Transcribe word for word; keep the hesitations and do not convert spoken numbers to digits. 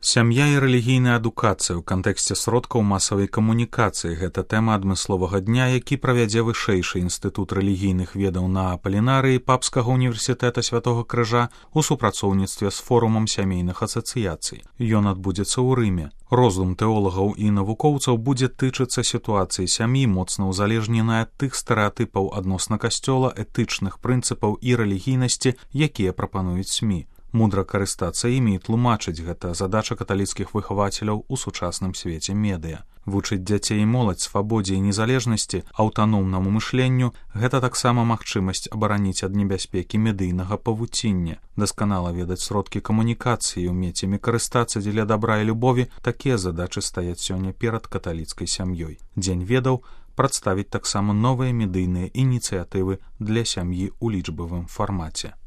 Сям'я і рэлігійная адукацыя ў кантэксце сродкаў масавай камунікацыі – гэта тэма адмысловага дня, які правядзе вышэйшы інстытут рэлігійных ведаў на Апалінарыі Папскага універсітэта Святога Крыжа ў супрацоўніцтве з форумам сямейных асацыяцый. Ён адбудзецца ў Рыме. Роздум тэолагаў і навукоўцаў будзе тычыцца сітуацыі сям'і, моцна ўзалежненай ад тых стэрэатыпаў адносна касцёла, этычных прынцыпаў і рэлігійнасці, якія прапануюць СМІ. Мудра карыстацца імі і тлумачыць – гэта задача каталіцкіх выхавацеляў у сучасным свеце медыа. Вучыць дзяцей і моладзь свабодзе і незалежнасці, аўтаномнаму мышленню – гэта таксама магчымасць абараніць ад небяспекі медыйнага павуціння. Дасканала ведаць сродкі камунікацыі і ўмець імі карыстацца дзеля дабра і любові – такія задачы стаяць сёння перад каталіцкай сям'ёй. Дзень ведаў прадставіць таксама новыя медыйныя ініцыятывы для сям'і ў лічбавым фармаце.